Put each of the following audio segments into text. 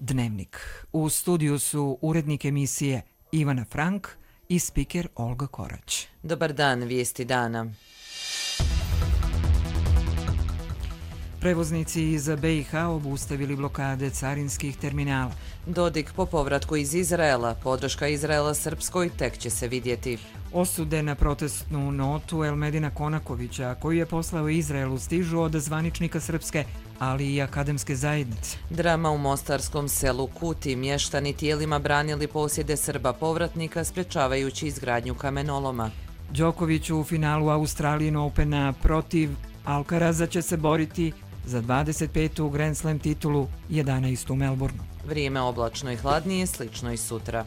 Dnevnik. U studiju su urednik emisije Ivana Frank i spiker Olga Korać. Dobar dan, vijesti dana. Prevoznici iz BiH obustavili blokade carinskih terminala. Dodik po povratku iz Izraela. Podrška Izraela Srpskoj tek će se vidjeti. Osude na protestnu notu Elmedina Konakovića, koju je poslao Izraelu, stižu od zvaničnika Srpske, ali i akademske zajednice. Drama u mostarskom selu Kuti. Mještani tijelima branili posjede Srba povratnika, sprečavajući izgradnju kamenoloma. Đoković u finalu Australian Opena protiv Alcaraza će se boriti za 25. Grand Slam titulu, 11. u Melbourneu. Vrijeme oblačno i hladnije, slično i sutra.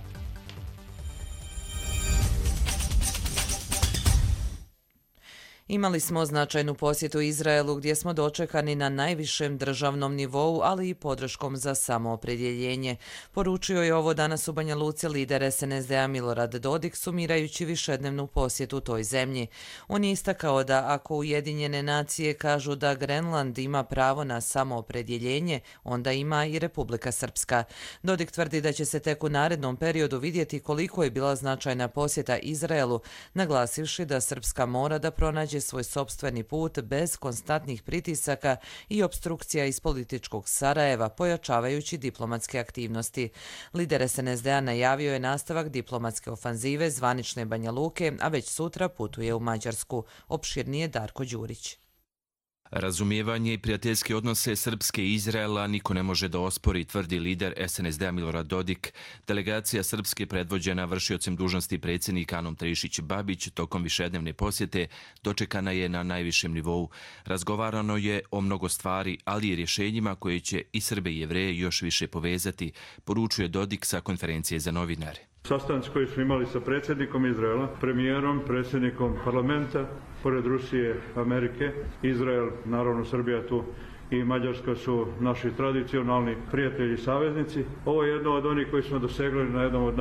Imali smo značajnu posjetu Izraelu gdje smo dočekani na najvišem državnom nivou, ali i podrškom za samoopredjeljenje. Poručio je ovo danas u Banja Luci lider SNSD-a Milorad Dodik, sumirajući višednevnu posjetu toj zemlji. On je istakao da ako Ujedinjene nacije kažu da Grenland ima pravo na samoopredjeljenje, onda ima i Republika Srpska. Dodik tvrdi da će se tek u narednom periodu vidjeti koliko je bila značajna posjeta Izraelu, naglasivši da Srpska mora da pronađe svoj sopstveni put bez konstantnih pritisaka i opstrukcija iz političkog Sarajeva, pojačavajući diplomatske aktivnosti. Lider SNSD-a najavio je nastavak diplomatske ofanzive zvanične Banja Luke, a već sutra putuje u Mađarsku. Opširnije Darko Đurić. Razumijevanje i prijateljske odnose Srpske i Izraela niko ne može da ospori, tvrdi lider SNSD-a Milorad Dodik. Delegacija Srpske predvođena vršiocem dužnosti predsjednik Anom Trišić-Babić tokom višednevne posjete dočekana je na najvišem nivou. Razgovarano je o mnogo stvari, ali i rješenjima koje će i Srbe i Jevreje još više povezati, poručuje Dodik sa konferencije za novinare. Sastanci koji smo imali sa predsjednikom Izraela, premijerom, predsjednikom parlamenta, pored Rusije, Amerike, Izrael, naravno Srbija tu i Mađarska su naši tradicionalni prijatelji i saveznici. Ovo je jedno od onih koji smo dosegli na jednom od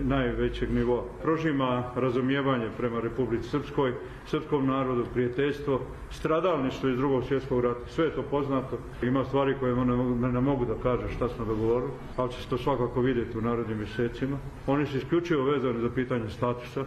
najvećeg nivoa. Prožima razumijevanje prema Republici Srpskoj, srpskom narodu, prijateljstvo, stradalništvo iz Drugog svjetskog rata. Sve je to poznato. Ima stvari koje ne mogu da kaže šta smo dogovorili, ali će se to svakako vidjeti u narednim mjesecima. Oni su isključivo vezani za pitanje statusa.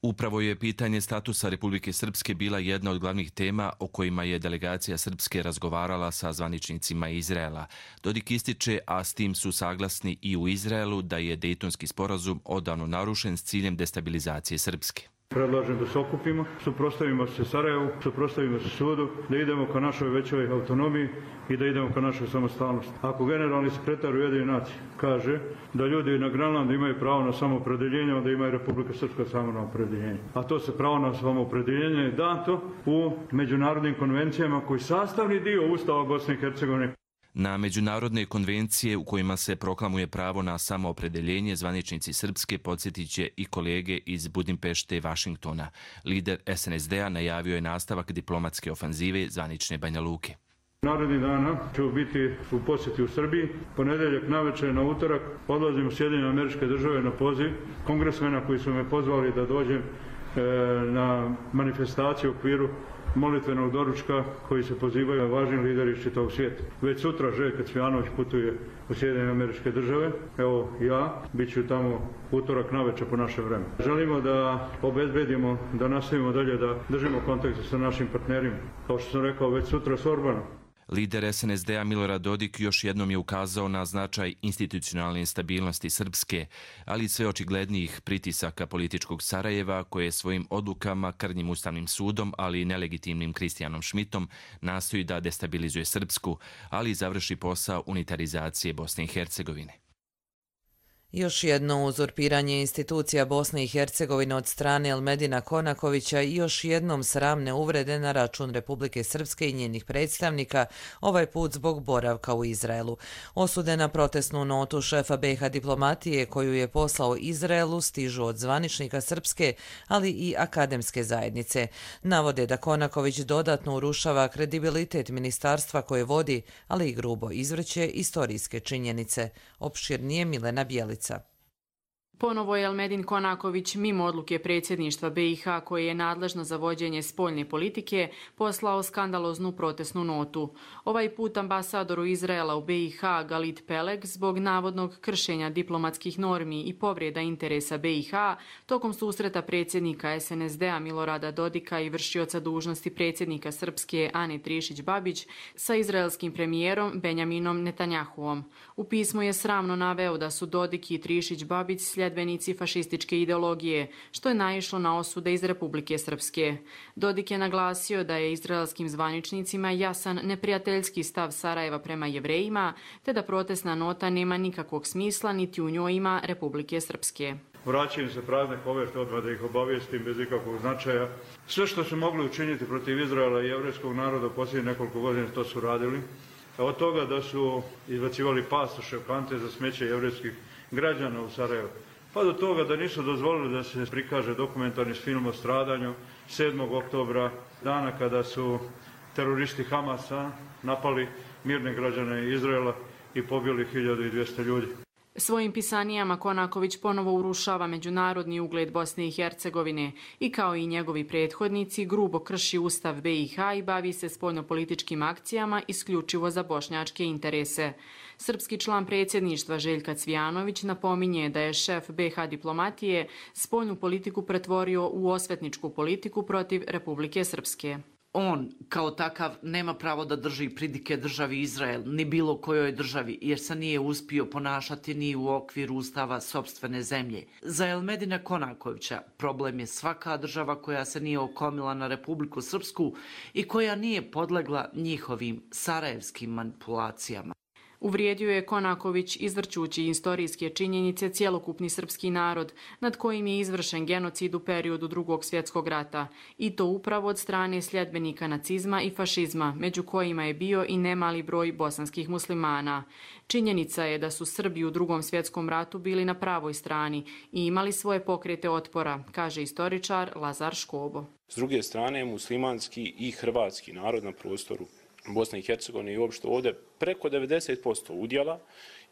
Upravo je pitanje statusa Republike Srpske bila jedna od glavnih tema o kojima je delegacija Srpske razgovarala sa zvaničnicima Izraela. Dodik ističe, a s tim su saglasni i u Izraelu, da je Dejtonski sporazum odavno narušen s ciljem destabilizacije Srpske. Predlažem da se okupimo, suprotstavimo se Sarajevu, suprotstavimo se sudu, da idemo ka našoj većoj autonomiji i da idemo ka našoj samostalnosti. Ako generalni sekretar Ujedinjenih nacija kaže da ljudi na Grenlandu imaju pravo na samoopredjeljenje, onda ima i Republika Srpska samoopredjeljenje. A to se pravo na samoopredjeljenje je dato u međunarodnim konvencijama koji sastavni dio Ustava Bosne i Hercegovine. Na međunarodne konvencije u kojima se proklamuje pravo na samoopredjeljenje, zvaničnici Srpske podsjetit će i kolege iz Budimpešte i Vašingtona. Lider SNSD-a najavio je nastavak diplomatske ofanzive zvanične Banja Luke. Narednih dana ću biti u posjeti u Srbiji. Ponedjeljak navečer na utorak odlazim u Sjedinjene Američke Države na poziv kongresmena koji su me pozvali da dođem na manifestaciju u okviru molitvenog doručka koji se pozivaju važni lideri iz čitavog svijeta. Već sutra Željko Cvijanović putuje u Sjedinjene Američke Države. Evo ja, bit ću tamo utorak navečer po našem vremenu. Želimo da obezbedimo, da nastavimo dalje, da držimo kontakt sa našim partnerima. Kao što sam rekao, već sutra s Orbanom. Lider SNSD-a Milorad Dodik još jednom je ukazao na značaj institucionalne stabilnosti Srpske, ali i sve očiglednijih pritisaka političkog Sarajeva koje svojim odlukama, krnjim ustavnim sudom, ali i nelegitimnim Kristijanom Šmitom nastoji da destabilizuje Srpsku, ali i završi posao unitarizacije Bosne i Hercegovine. Još jedno uzurpiranje institucija Bosne i Hercegovine od strane Elmedina Konakovića i još jednom sramne uvrede na račun Republike Srpske i njenih predstavnika, ovaj put zbog boravka u Izraelu. Osude na protestnu notu šefa BiH diplomatije koju je poslao Izraelu stižu od zvaničnika Srpske, ali i akademske zajednice. Navode da Konaković dodatno urušava kredibilitet ministarstva koje vodi, ali i grubo izvrće istorijske činjenice. Opširnije Milena Bjelica. Ponovo je Elmedin Konaković, mimo odluke predsjedništva BiH koje je nadležno za vođenje spoljne politike, poslao skandaloznu protestnu notu. Ovaj put ambasadoru Izraela u BiH Galit Peleg zbog navodnog kršenja diplomatskih normi i povreda interesa BiH tokom susreta predsjednika SNSD-a Milorada Dodika i vršioca dužnosti predsjednika Srpske Ane Trišić-Babić sa izraelskim premijerom Benjaminom Netanjahuom. U pismu je sramno naveo da su Dodik i Trišić-Babić sljedbenici fašističke ideologije, što je naišlo na osude iz Republike Srpske. Dodik je naglasio da je izraelskim zvaničnicima jasan neprijateljski stav Sarajeva prema Jevrejima, te da protestna nota nema nikakvog smisla niti u njoj ima Republike Srpske. Vraćaju se prazne koverte, odmah da ih obavijestim bez ikakvog značaja. Sve što su mogli učiniti protiv Izraela i jevrijskog naroda u posljednjih nekoliko godina to su radili. Od toga da su izbacivali pasoše, kante za smeće jevrijskih građana u Sarajevu, pa do toga da nisu dozvolili da se prikaže dokumentarni film o stradanju 7. oktobra, dana kada su teroristi Hamasa napali mirne građane Izraela i pobili 1200 ljudi. Svojim pisanijama Konaković ponovo urušava međunarodni ugled Bosne i Hercegovine i kao i njegovi prethodnici grubo krši Ustav BiH i bavi se spoljnopolitičkim akcijama isključivo za bošnjačke interese. Srpski član predsjedništva Željka Cvijanović napominje da je šef BiH diplomatije spoljnu politiku pretvorio u osvetničku politiku protiv Republike Srpske. On kao takav nema pravo da drži pridike državi Izrael, ni bilo kojoj državi, jer se nije uspio ponašati ni u okviru ustava sopstvene zemlje. Za Elmedina Konakovića problem je svaka država koja se nije okomila na Republiku Srpsku i koja nije podlegla njihovim sarajevskim manipulacijama. Uvrijedio je Konaković izvrćući istorijske činjenice cjelokupni srpski narod nad kojim je izvršen genocid u periodu Drugog svjetskog rata i to upravo od strane sljedbenika nacizma i fašizma, među kojima je bio i nemali broj bosanskih muslimana. Činjenica je da su Srbi u Drugom svjetskom ratu bili na pravoj strani i imali svoje pokrete otpora, kaže istoričar Lazar Škobo. S druge strane, muslimanski i hrvatski narod na prostoru Bosne i Hercegovine i uopšte ovdje preko 90% udjela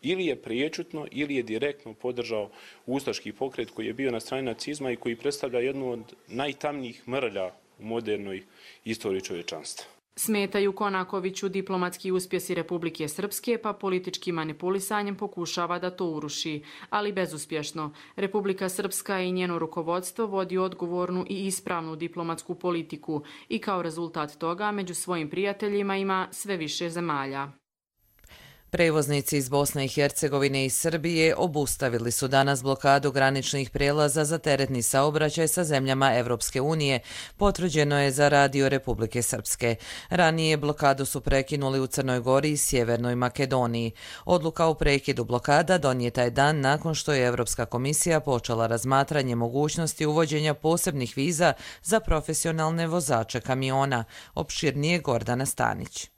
ili je priječutno ili je direktno podržao ustaški pokret koji je bio na strani nacizma i koji predstavlja jednu od najtamnijih mrlja u modernoj istoriji čovječanstva. Smetaju Konakoviću diplomatski uspjesi Republike Srpske, pa političkim manipulisanjem pokušava da to uruši, ali bezuspješno. Republika Srpska i njeno rukovodstvo vodi odgovornu i ispravnu diplomatsku politiku i kao rezultat toga među svojim prijateljima ima sve više zemalja. Prevoznici iz Bosne i Hercegovine i Srbije obustavili su danas blokadu graničnih prijelaza za teretni saobraćaj sa zemljama Evropske unije, potvrđeno je za Radio Republike Srpske. Ranije blokadu su prekinuli u Crnoj Gori i Sjevernoj Makedoniji. Odluka o prekidu blokada donijeta je dan nakon što je Evropska komisija počela razmatranje mogućnosti uvođenja posebnih viza za profesionalne vozače kamiona. Opširnije Gordana Stanić.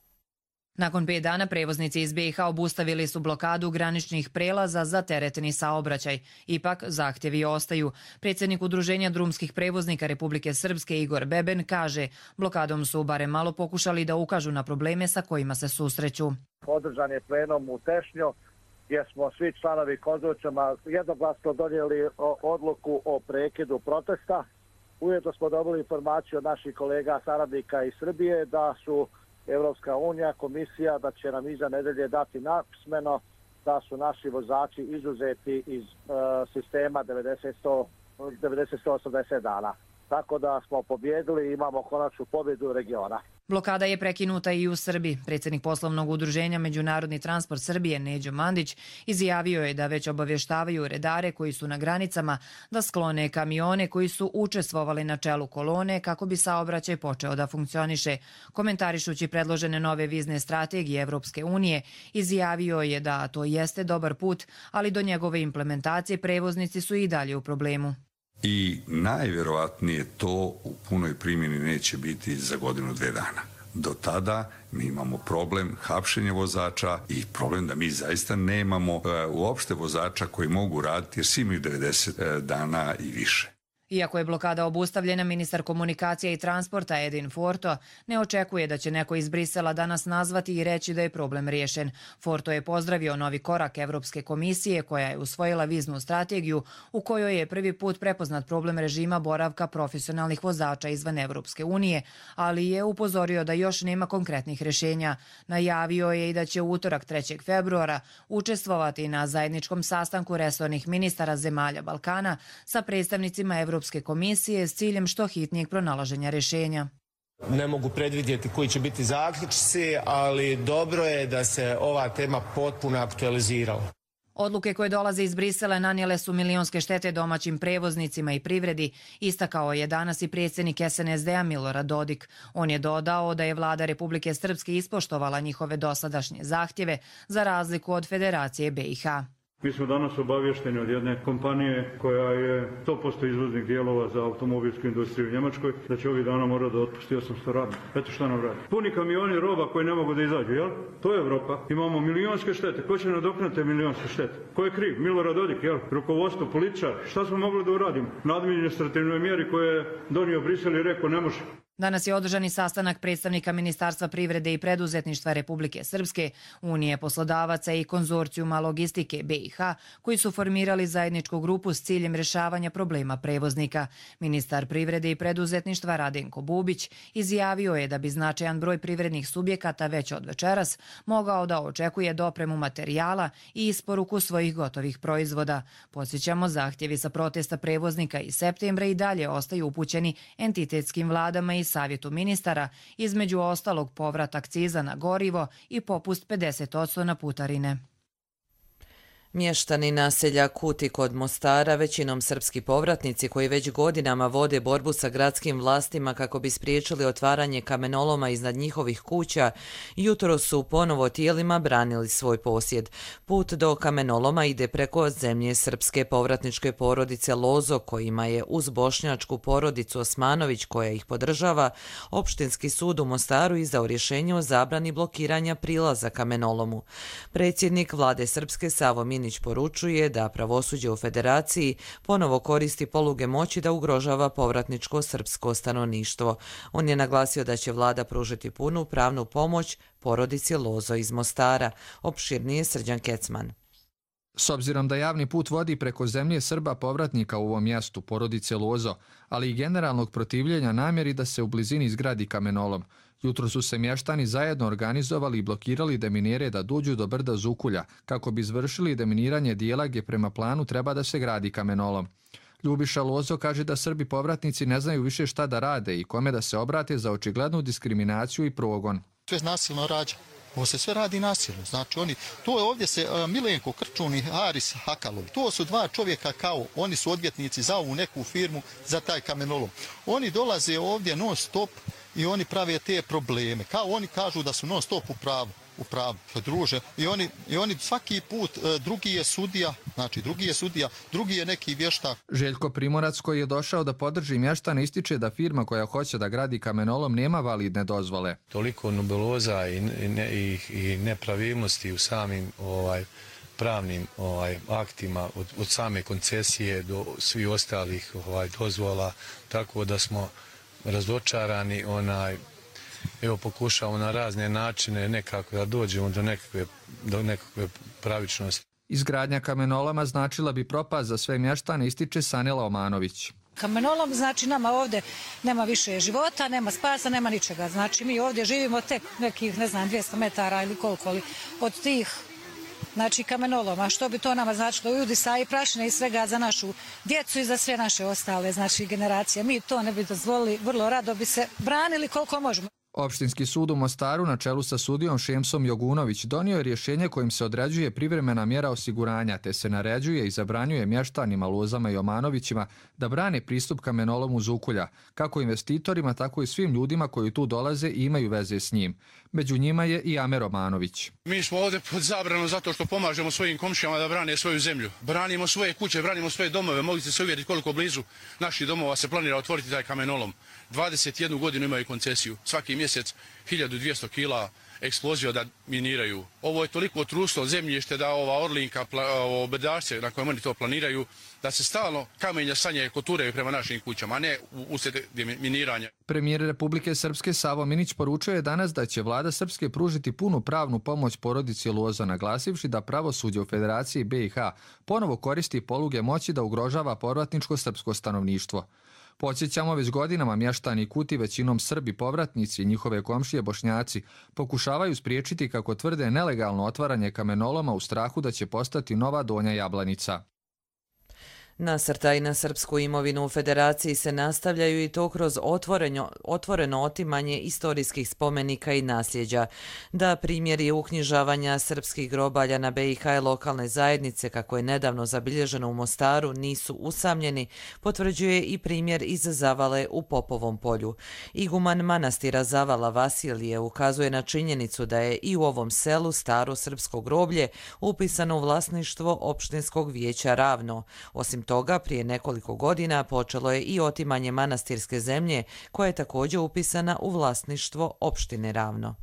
Nakon 5 dana prevoznici iz BiH obustavili su blokadu graničnih prelaza za teretni saobraćaj. Ipak, zahtjevi ostaju. Predsjednik Udruženja drumskih prevoznika Republike Srpske Igor Beben kaže, blokadom su barem malo pokušali da ukažu na probleme sa kojima se susreću. Održan je plenum u Tešnju gdje smo svi članovi konzorcijuma jednoglasno donijeli odluku o prekidu protesta. Ujedno smo dobili informaciju od naših kolega saradnika iz Srbije da su Evropska unija, komisija, da će nam iza nedelje dati napismeno da su naši vozači izuzeti iz sistema 90-180 dana. Tako da smo pobjedili i imamo konačnu pobjedu regiona. Blokada je prekinuta i u Srbiji. Predsjednik poslovnog udruženja Međunarodni transport Srbije Neđo Mandić izjavio je da već obavještavaju redare koji su na granicama da sklone kamione koji su učestvovali na čelu kolone kako bi saobraćaj počeo da funkcioniše. Komentarišući predložene nove vizne strategije Evropske unije, izjavio je da to jeste dobar put, ali do njegove implementacije prevoznici su i dalje u problemu. I najvjerovatnije to u punoj primjeni neće biti za 1-2 dana. Do tada mi imamo problem hapšenja vozača i problem da mi zaista nemamo uopšte vozača koji mogu raditi jer svi imaju 90 dana i više. Iako je blokada obustavljena, ministar komunikacija i transporta Edin Forto ne očekuje da će neko iz Brisela danas nazvati i reći da je problem riješen. Forto je pozdravio novi korak Evropske komisije koja je usvojila viznu strategiju u kojoj je prvi put prepoznat problem režima boravka profesionalnih vozača izvan Evropske unije, ali je upozorio da još nema konkretnih rješenja. Najavio je i da će u utorak 3. februara učestvovati na zajedničkom sastanku resornih ministara zemalja Balkana sa predstavnicima Evropske komisije s ciljem što hitnijeg pronalaženja rješenja. Ne mogu predvidjeti koji će biti zaključci, ali dobro je da se ova tema potpuno aktualizirala. Odluke koje dolaze iz Brisela nanijele su milionske štete domaćim prevoznicima i privredi, istakao je danas i predsjednik SNSD-a Milorad Dodik. On je dodao da je vlada Republike Srpske ispoštovala njihove dosadašnje zahtjeve za razliku od Federacije BiH. Mi smo danas obavješteni od jedne kompanije koja je 100% izvoznik dijelova za automobilsku industriju u Njemačkoj, da će ovih dana morati da otpusti 800 radnika. Eto šta nam radi. Puni kamioni roba koji ne mogu da izađu, jel? To je Evropa. Imamo milionske štete. Ko će nadoknati milionske štete? Ko je kriv? Milorad Dodik, jel? Rukovodstvo, političar. Šta smo mogli da uradimo? Na administrativnoj mjeri koje je donio Brisel i rekao ne može. Danas je održani sastanak predstavnika Ministarstva privrede i preduzetništva Republike Srpske, Unije poslodavaca i konzorcijuma logistike BiH, koji su formirali zajedničku grupu s ciljem rješavanja problema prevoznika. Ministar privrede i preduzetništva Radenko Bubić izjavio je da bi značajan broj privrednih subjekata već od večeras mogao da očekuje dopremu materijala i isporuku svojih gotovih proizvoda. Podsjećamo, zahtjevi sa protesta prevoznika iz septembra i dalje ostaju upućeni entitetskim vladama i Savjetu ministara, između ostalog povrat akciza na gorivo i popust 50% na putarine. Mještani naselja Kuti kod Mostara, većinom srpski povratnici koji već godinama vode borbu sa gradskim vlastima kako bi spriječili otvaranje kamenoloma iznad njihovih kuća, jutro su ponovo tijelima branili svoj posjed. Put do kamenoloma ide preko zemlje srpske povratničke porodice Lozo, kojima je uz bošnjačku porodicu Osmanović koja ih podržava, opštinski sud u Mostaru izdao rješenje o zabrani blokiranja prilaza kamenolomu. Predsjednik vlade Srpske Savo Minić poručuje da pravosuđe u Federaciji ponovo koristi poluge moći da ugrožava povratničko srpsko stanovništvo. On je naglasio da će vlada pružiti punu pravnu pomoć porodici Lozo iz Mostara. Opširnije Srđan Kecman. S obzirom da javni put vodi preko zemlje Srba povratnika u ovom mjestu, porodice Lozo, ali i generalnog protivljenja namjeri da se u blizini izgradi kamenolom, jutro su se mještani zajedno organizovali i blokirali deminere da dođu do brda Zukulja, kako bi izvršili deminiranje dijela gdje prema planu treba da se gradi kamenolom. Ljubiša Lozo kaže da Srbi povratnici ne znaju više šta da rade i kome da se obrate za očiglednu diskriminaciju i progon. Sve nasilno rađa. Ovo se sve radi nasilno. Znači to je ovdje se Milenko Krčun i Haris Hakalovi. To su dva čovjeka kao, oni su odvjetnici za ovu neku firmu za taj kamenolom. Oni dolaze ovdje non stop i oni prave te probleme. Kao oni kažu da su non stop u pravu. Druže. I oni svaki put, drugi je sudija, drugi je neki vještak. Željko Primorac, koji je došao da podrži mještane, ističe da firma koja hoće da gradi kamenolom nema validne dozvole. Toliko nubeloza i nepravilnosti u samim pravnim aktima od same koncesije do svih ostalih dozvola, tako da smo razočarani. Evo pokušavamo na razne načine nekako da dođemo do nekakve pravičnosti. Izgradnja kamenoloma značila bi propast za sve mještane, ističe Sanela Omanović. Kamenolom znači nama ovdje nema više života, nema spasa, nema ničega. Znači mi ovdje živimo tek nekih 200 metara ili koliko od tih kamenoloma. Što bi to nama značilo? Udisa i prašine i svega za našu djecu i za sve naše ostale generacije. Mi to ne bi dozvolili, vrlo rado bi se branili koliko možemo. Opštinski sud u Mostaru na čelu sa sudijom Šemsom Jogunović donio je rješenje kojim se određuje privremena mjera osiguranja, te se naređuje i zabranjuje mještanima Lozama i Omanovićima da brane pristup kamenolomu Zukulja, kako investitorima, tako i svim ljudima koji tu dolaze i imaju veze s njim. Među njima je i Amer Omanović. Mi smo ovdje pod zabranom zato što pomažemo svojim komšijama da brane svoju zemlju. Branimo svoje kuće, branimo svoje domove. Mogli ste se uvjeriti koliko blizu naših domova se planira otvoriti taj kamenolom. 21 godinu imaju koncesiju. Svaki mjesec 1200 kila eksplozija da miniraju. Ovo je toliko trusno zemljište da ova Orlinka, bedašce na kojem oni to planiraju, da se stalno kamenja sanje koturaju prema našim kućama, a ne uslijed miniranja. Premijer Republike Srpske Savo Minić poručio je danas da će vlada Srpske pružiti punu pravnu pomoć porodici Lozo, naglasivši da pravosuđe u Federaciji BiH ponovo koristi poluge moći da ugrožava povratničko srpsko stanovništvo. Podsjećamo, već godinama mještani Kuti, većinom Srbi povratnici i njihove komšije Bošnjaci, pokušavaju spriječiti, kako tvrde, nelegalno otvaranje kamenoloma u strahu da će postati nova Donja Jablanica. Nasrtaji na srpsku imovinu u Federaciji se nastavljaju i to kroz otvoreno otimanje istorijskih spomenika i nasljeđa. Da primjeri uknjižavanja srpskih grobalja na BiH i lokalne zajednice, kako je nedavno zabilježeno u Mostaru, nisu usamljeni, potvrđuje i primjer iz Zavale u Popovom polju. Iguman manastira Zavala Vasilije ukazuje na činjenicu da je i u ovom selu staro srpsko groblje upisano u vlasništvo opštinskog vijeća Ravno. Osim toga, prije nekoliko godina počelo je i otimanje manastirske zemlje, koja je također upisana u vlasništvo opštine Ravno.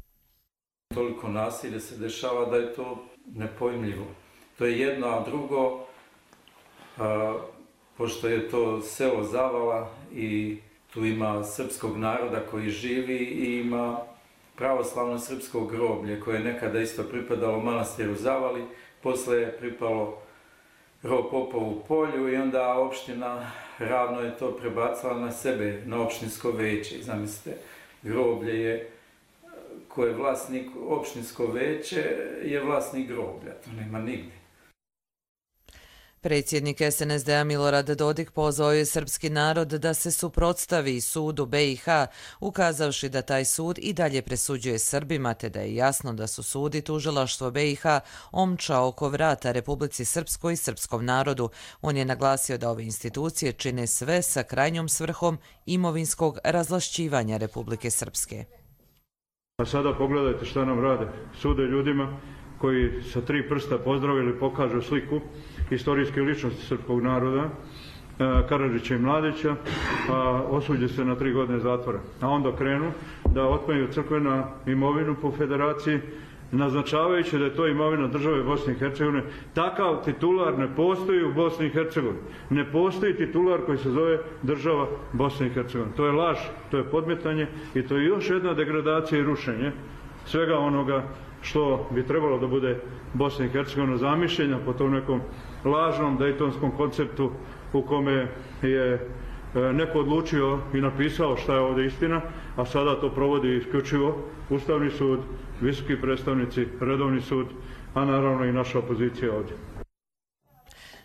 Toliko nasilja se dešava da je to nepojmljivo. To je jedno, a drugo, pošto je to selo Zavala i tu ima srpskog naroda koji živi i ima pravoslavno srpsko groblje koje je nekada isto pripadalo manastiru Zavali, posle je pripalo Popovu polju i onda opština Ravno je to prebacila na sebe, na opštinsko veće. Zamislite, groblje je, ko je vlasnik opštinsko veće, je vlasnik groblja, to nema nigdje. Predsjednik SNSD-a Milorad Dodik pozvao je srpski narod da se suprotstavi sudu BiH, ukazavši da taj sud i dalje presuđuje Srbima, te da je jasno da su sud i tužilaštvo BiH omča oko vrata Republici Srpskoj i srpskom narodu. On je naglasio da ove institucije čine sve sa krajnjom svrhom imovinskog razvlašćivanja Republike Srpske. A sada pogledajte šta nam rade. Sude ljudima koji sa 3 prsta pozdravili, pokažu sliku istorijske ličnosti srpskog naroda, Karadžića i Mladića, a osuđe se na 3 godine zatvora. A onda krenu da otmeju crkvenu imovinu po federaciji, naznačavajući da je to imovina države Bosne i Hercegovine. Takav titular ne postoji u Bosni i Hercegovini. Ne postoji titular koji se zove država Bosne i Hercegovine. To je laž, to je podmetanje i to je još jedna degradacija i rušenje svega onoga što bi trebalo da bude Bosna i Hercegovina zamišljena po tom nekom lažnom dejtonskom konceptu u kome je neko odlučio i napisao šta je ovdje istina, a sada to provodi isključivo Ustavni sud, visoki predstavnici, redovni sud, a naravno i naša opozicija ovdje.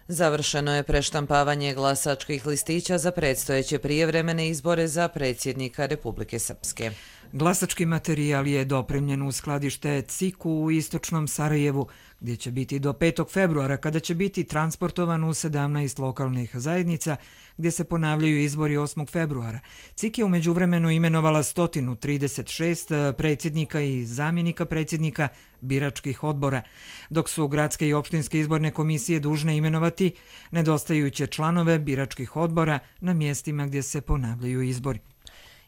Završeno je preštampavanje glasačkih listića za predstojeće prijevremene izbore za predsjednika Republike Srpske. Glasački materijal je dopremljen u skladište CIK-u u istočnom Sarajevu, gdje će biti do 5. februara, kada će biti transportovan u 17 lokalnih zajednica, gdje se ponavljaju izbori 8. februara. CIK je u međuvremenu imenovala 136 predsjednika i zamjenika predsjednika biračkih odbora, dok su gradske i opštinske izborne komisije dužne imenovati nedostajuće članove biračkih odbora na mjestima gdje se ponavljaju izbori.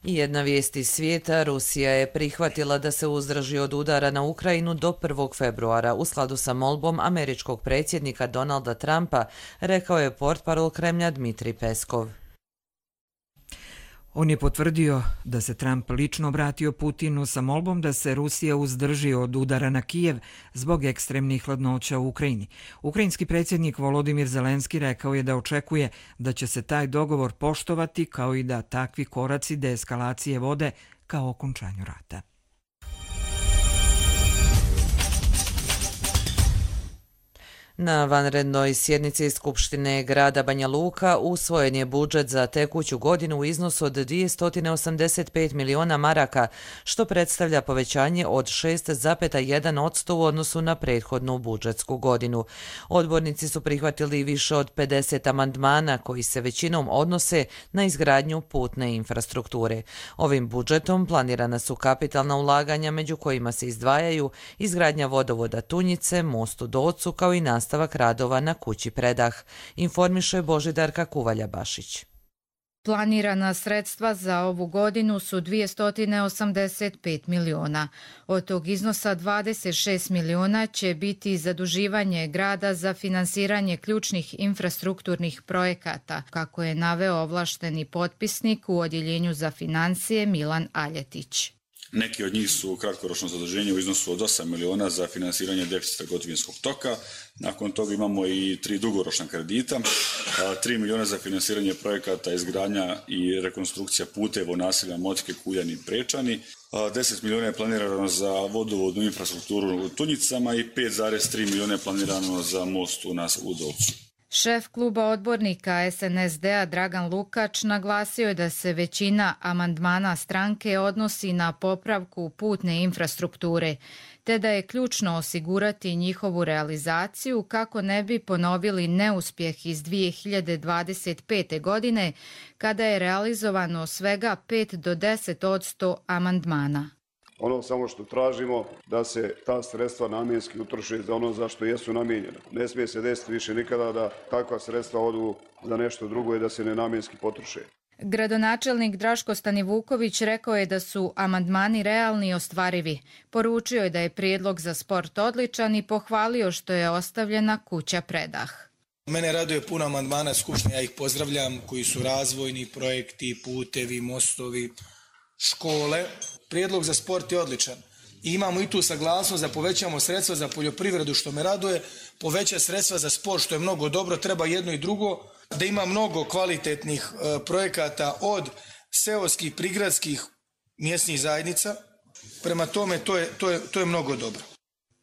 I jedna vijest iz svijeta, Rusija je prihvatila da se uzdrži od udara na Ukrajinu do 1. februara u skladu sa molbom američkog predsjednika Donalda Trumpa, rekao je portparol Kremlja Dmitrij Peskov. On je potvrdio da se Trump lično obratio Putinu sa molbom da se Rusija uzdrži od udara na Kijev zbog ekstremnih hladnoća u Ukrajini. Ukrajinski predsjednik Volodimir Zelenski rekao je da očekuje da će se taj dogovor poštovati, kao i da takvi koraci deeskalacije vode kao okončanju rata. Na vanrednoj sjednici Skupštine grada Banja Luka usvojen je budžet za tekuću godinu u iznosu od 285 miliona maraka, što predstavlja povećanje od 6,1% u odnosu na prethodnu budžetsku godinu. Odbornici su prihvatili više od 50 amandmana koji se većinom odnose na izgradnju putne infrastrukture. Ovim budžetom planirana su kapitalna ulaganja, među kojima se izdvajaju izgradnja vodovoda Tunjice, most u Docu, kao i nastavak radova na kući Predah, informiše Božidarka Kuvalja-Bašić. Planirana sredstva za ovu godinu su 285 miliona. Od tog iznosa 26 miliona će biti zaduživanje grada za finansiranje ključnih infrastrukturnih projekata, kako je naveo ovlašteni potpisnik u Odjeljenju za financije Milan Aljetić. Neki od njih su kratkoročno zaduženje u iznosu od 8 miliona za finansiranje deficita gotovinskog toka. Nakon toga imamo i 3 dugoročna kredita, 3 miliona za finansiranje projekata izgradnja i rekonstrukcija puteva u naseljima Motike, Kuljani i Prečani. 10 miliona je planirano za vodovodnu infrastrukturu u Tunjicama i 5,3 miliona je planirano za most u Udovcu. Šef kluba odbornika SNSD-a Dragan Lukač naglasio je da se većina amandmana stranke odnosi na popravku putne infrastrukture, te da je ključno osigurati njihovu realizaciju kako ne bi ponovili neuspjeh iz 2025. godine, kada je realizovano svega 5 do 10% amandmana. Ono samo što tražimo da se ta sredstva namjenski utroše za ono za što jesu namijenjena. Ne smije se desiti više nikada da takva sredstva odu za nešto drugo i da se nenamjenski potroše. Gradonačelnik Draško Stanivuković rekao je da su amandmani realni i ostvarivi. Poručio je da je prijedlog za sport odličan i pohvalio što je ostavljena kuća predah. Mene raduje puno amandmana Skupštine, ja ih pozdravljam, koji su razvojni projekti, putevi, mostovi, škole. Prijedlog za sport je odličan. I imamo i tu saglasnost da povećamo sredstva za poljoprivredu, što me raduje, poveća sredstva za sport, što je mnogo dobro, treba jedno i drugo, da ima mnogo kvalitetnih projekata od seoskih, prigradskih mjesnih zajednica. Prema tome, to je mnogo dobro.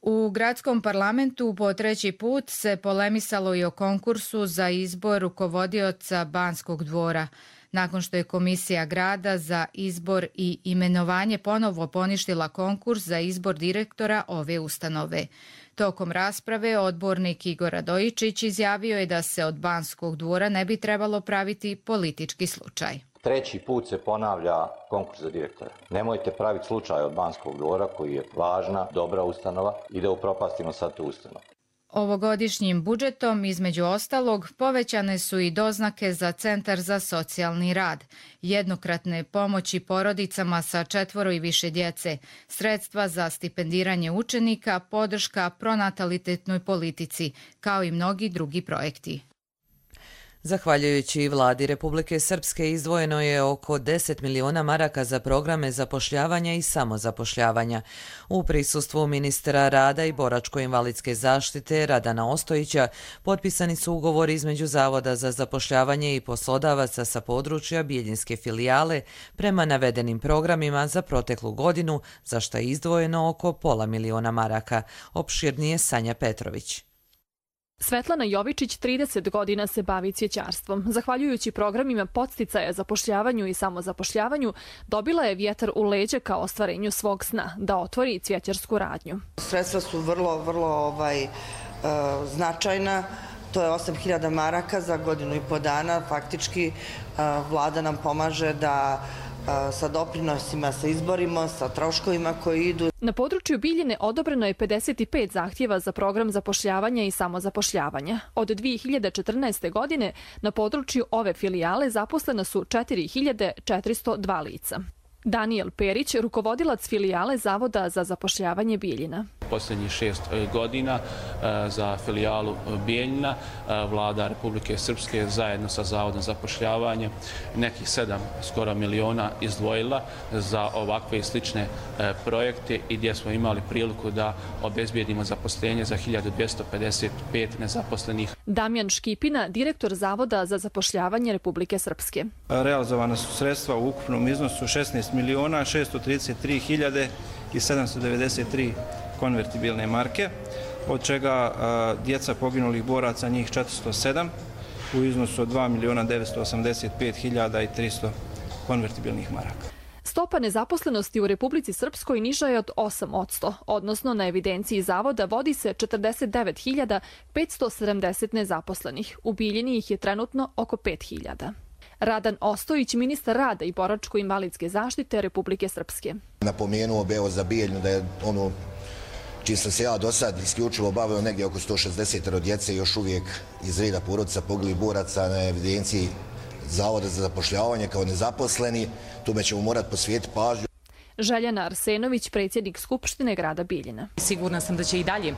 U gradskom parlamentu po 3. put se polemisalo i o konkursu za izbor rukovodioca Banskog dvora. Nakon što je Komisija grada za izbor i imenovanje ponovo poništila konkurs za izbor direktora ove ustanove. Tokom rasprave odbornik Igor Radojičić izjavio je da se od Banskog dvora ne bi trebalo praviti politički slučaj. 3. put se ponavlja konkurs za direktora. Nemojte praviti slučaj od Banskog dvora koji je važna, dobra ustanova i da upropastimo sad tu ustanovu. Ovogodišnjim budžetom, između ostalog, povećane su i doznake za Centar za socijalni rad, jednokratne pomoći porodicama sa 4 i više djece, sredstva za stipendiranje učenika, podrška pronatalitetnoj politici, kao i mnogi drugi projekti. Zahvaljujući vladi Republike Srpske izdvojeno je oko 10 miliona maraka za programe zapošljavanja i samozapošljavanja. U prisustvu ministra rada i boračko-invalidske zaštite Radana Ostojića potpisani su ugovori između Zavoda za zapošljavanje i poslodavaca sa područja Bijeljinske filijale prema navedenim programima za proteklu godinu, za što je izdvojeno oko pola miliona maraka. Opširnije Sanja Petrović. Svetlana Jovičić 30 godina se bavi cvjećarstvom. Zahvaljujući programima podsticaja zapošljavanju i samozapošljavanju, dobila je vjetar u leđe kao ostvarenju svog sna, da otvori cvjećarsku radnju. Sredstva su vrlo značajna. To je 8.000 maraka za godinu i po dana. Faktički vlada nam pomaže da sa doprinosima se izborimo, sa troškovima koji idu. Na području Bijeljine odobreno je 55 zahtjeva za program zapošljavanja i samozapošljavanja. Od 2014. godine na području ove filijale zaposlena su 4.402 lica. Daniel Perić, rukovodilac filijale Zavoda za zapošljavanje Bijeljina. Posljednjih 6 godina za filijalu Bijeljina vlada Republike Srpske zajedno sa Zavodom za zapošljavanje nekih 7 skoro miliona izdvojila za ovakve i slične projekte i gdje smo imali priliku da obezbijedimo zaposlenje za 1255 nezaposlenih. Damjan Škipina, direktor Zavoda za zapošljavanje Republike Srpske. Realizovana su sredstva u ukupnom iznosu 16 miliona 633 hiljade i 793 konvertibilne marke, od čega djeca poginulih boraca njih 407 u iznosu od 2 miliona 985 hiljada i 300 konvertibilnih maraka. Stopa nezaposlenosti u Republici Srpskoj niža je od 8%, odnosno na evidenciji Zavoda vodi se 49.570 nezaposlenih. U Bijeljini ih je trenutno oko 5.000. Radan Ostojić, ministar rada i boračko-invalidske zaštite Republike Srpske. Napomenuo bi za Bijeljinu da je ono čim sam se ja do sad isključivo bavio negdje oko 160 djece još uvijek iz reda porodica poginulih boraca na evidenciji Zavoda za zapošljavanje kao nezaposleni. Tome ćemo morati posvetiti pažnju. Željana Arsenović, predsjednik Skupštine grada Bijeljina. Sigurna sam da će i dalje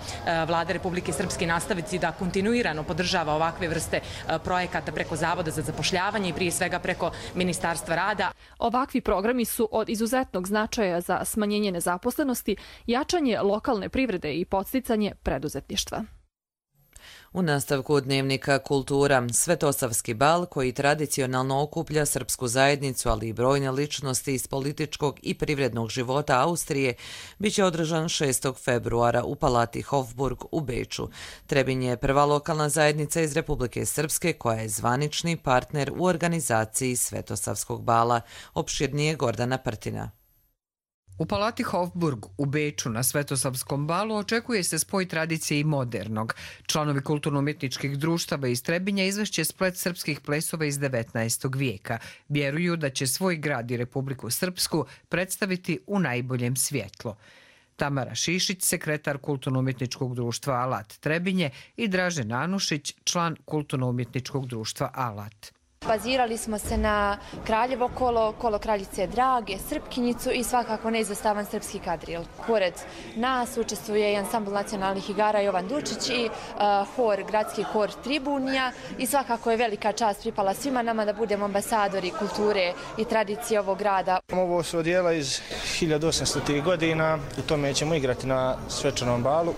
Vlada Republike Srpske nastaviti da kontinuirano podržava ovakve vrste projekata preko Zavoda za zapošljavanje i prije svega preko Ministarstva rada. Ovakvi programi su od izuzetnog značaja za smanjenje nezaposlenosti, jačanje lokalne privrede i podsticanje preduzetništva. U nastavku dnevnika Kultura, Svetosavski bal koji tradicionalno okuplja srpsku zajednicu, ali i brojne ličnosti iz političkog i privrednog života Austrije, bit će održan 6. februara u Palati Hofburg u Beču. Trebinj je prva lokalna zajednica iz Republike Srpske koja je zvanični partner u organizaciji Svetosavskog bala. Opširnije Gordana Prtina. U Palati Hofburg u Beču na Svetosavskom balu očekuje se spoj tradicije i modernog. Članovi kulturno-umjetničkih društava iz Trebinja izvešće splet srpskih plesova iz 19. vijeka. Vjeruju da će svoj grad i Republiku Srpsku predstaviti u najboljem svjetlu. Tamara Šišić, sekretar kulturno-umjetničkog društva Alat Trebinje, i Dražen Anušić, član kulturno-umjetničkog društva Alat. Bazirali smo se na Kraljevo kolo, kolo Kraljice Drage, Srpkinjicu i svakako neizostavan srpski kadril. Pored nas učestvuje i ansambl nacionalnih igara Jovan Dučić i gradski hor Tribunija i svakako je velika čast pripala svima nama da budemo ambasadori kulture i tradicije ovog grada. Ovo su odijela iz 1800. godina, u tome ćemo igrati na svečanom balu.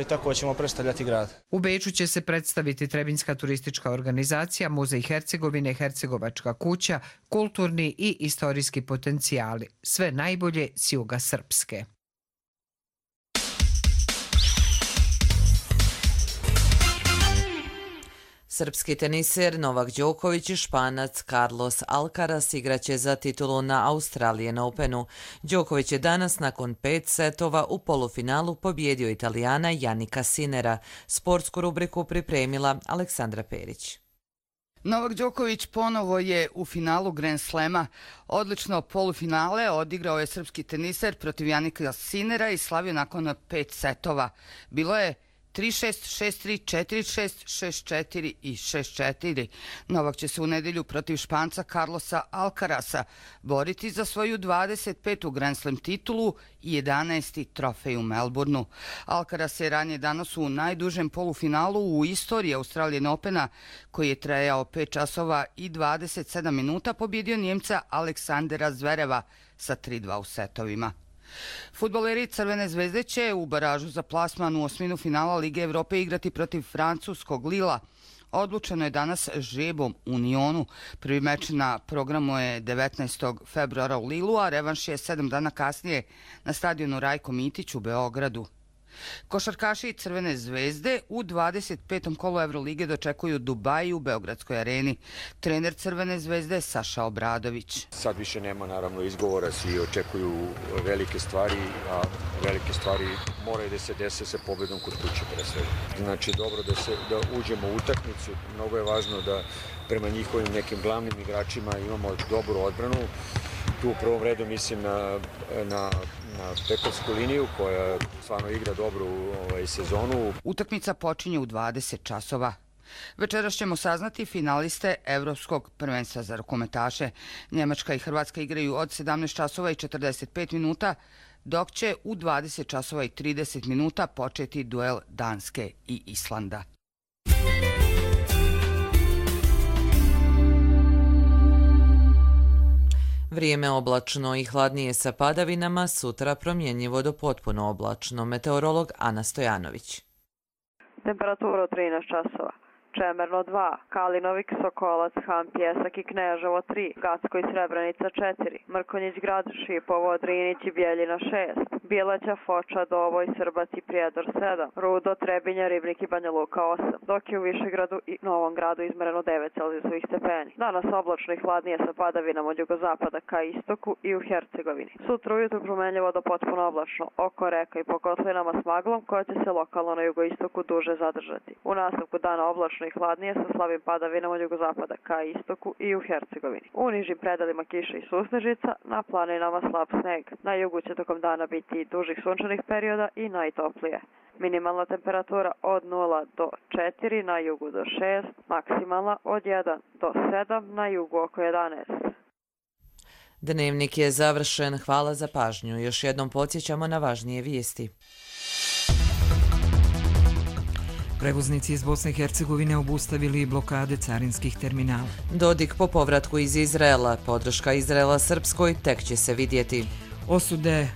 I tako ćemo predstavljati grad. U Beču će se predstaviti Trebinjska turistička organizacija, Muzej Hercegovine, Hercegovačka kuća, kulturni i istorijski potencijali. Sve najbolje s juga Srpske. Srpski teniser Novak Đoković i Španac Carlos Alcaraz igraće za titulu na Australian Openu. Đoković je danas nakon 5 setova u polufinalu pobjedio Italijana Jannika Sinera. Sportsku rubriku pripremila Aleksandra Perić. Novak Đoković ponovo je u finalu Grand Slema. Odlično polufinale odigrao je srpski teniser protiv Jannika Sinera i slavio nakon 5 setova. Bilo je 3-6, 6-3, 4-6, 6-4 i 6-4. Novak će se u nedjelju protiv Španca Carlosa Alcarasa boriti za svoju 25. Grand Slam titulu i 11. trofej u Melbourneu. Alcaraz je ranije danas u najdužem polufinalu u istoriji Australian Opena, koji je trajao 5 časova i 27 minuta, pobjedio Njemca Aleksandera Zvereva sa 3-2 u setovima. Fudbaleri Crvene zvezde će u baražu za plasman u osminu finala Lige Evrope igrati protiv francuskog Lila. Odlučeno je danas žrebom u Nionu. Prvi meč na programu je 19. februara u Lilu, a revanš je 7 dana kasnije na stadionu Rajko Mitić u Beogradu. Košarkaši Crvene zvezde u 25. kolu Evrolige dočekuju Dubai u Beogradskoj areni. Trener Crvene zvezde Saša Obradović. Sad više nema naravno izgovora, svi očekuju velike stvari, a velike stvari moraju da se dese sa pobjedom kod kuće pre svega. Znači dobro da uđemo u utakmicu, mnogo je važno da prema njihovim nekim glavnim igračima imamo dobru odbranu. Tu u prvom redu mislim na pekovsku liniju koja stvarno igra dobru sezonu. Utakmica počinje u 20 časova. Večeras ćemo saznati finaliste Evropskog prvenstva za rukometaše. Njemačka i Hrvatska igraju od 17 časova i 45 minuta, dok će u 20 časova i 30 minuta početi duel Danske i Islanda. Vrijeme oblačno i hladnije sa padavinama, sutra promjenjivo do potpuno oblačno. Meteorolog Ana Stojanović. Temperatura od 13 časova. Čemerno 2, Kalinovik, Sokolac, Han, Pjesak i Kneževo 3, Gacko i Srebrenica 4, Mrkonjić Grad, Šipovo, Drinić i Bjeljina 6, Bileća, Foča, Dovoj, Srbac i Prijedor 7, Rudo, Trebinja, Ribnik i Banja Luka 8, dok je u Višegradu i Novom Gradu izmereno 9 celzijusovih stepeni. Danas oblačno i hladnije sa padavinama od jugozapada ka istoku i u Hercegovini. Sutra ujutro promenljivo do potpuno oblačno, oko reka i po kotlinama s maglom koja će se lokalno na jugoistoku duže zadržati. U nastavku dana oblačno i hladnije sa slabim padavinama od jugozapada ka istoku i u Hercegovini. U nižim predalima kiša i susnežica, na planinama slab sneg. Na jugu će tokom dana biti dužih sunčanih perioda i najtoplije. Minimalna temperatura od 0 do 4, na jugu do 6, maksimalna od 1 do 7, na jugu oko 11. Dnevnik je završen. Hvala za pažnju. Još jednom podsjećamo na važnije vijesti. Prevoznici iz Bosne i Hercegovine obustavili blokade carinskih terminala. Dodik po povratku iz Izraela. Podrška Izraela Srpskoj tek će se vidjeti. Osude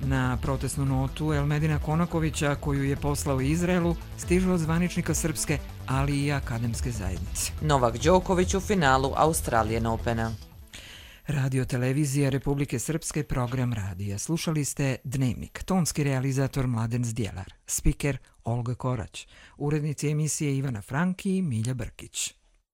na protestnu notu Elmedina Konakovića koju je poslao Izraelu stižu od zvaničnika Srpske, ali i akademske zajednice. Novak Đoković u finalu Australian Opena. Radio televizija Republike Srpske, program radija. Slušali ste Dnevnik. Tonski realizator Mladen Zdjelar. Spiker Olga Korać. Urednici emisije Ivana Franki i Milja Brkić.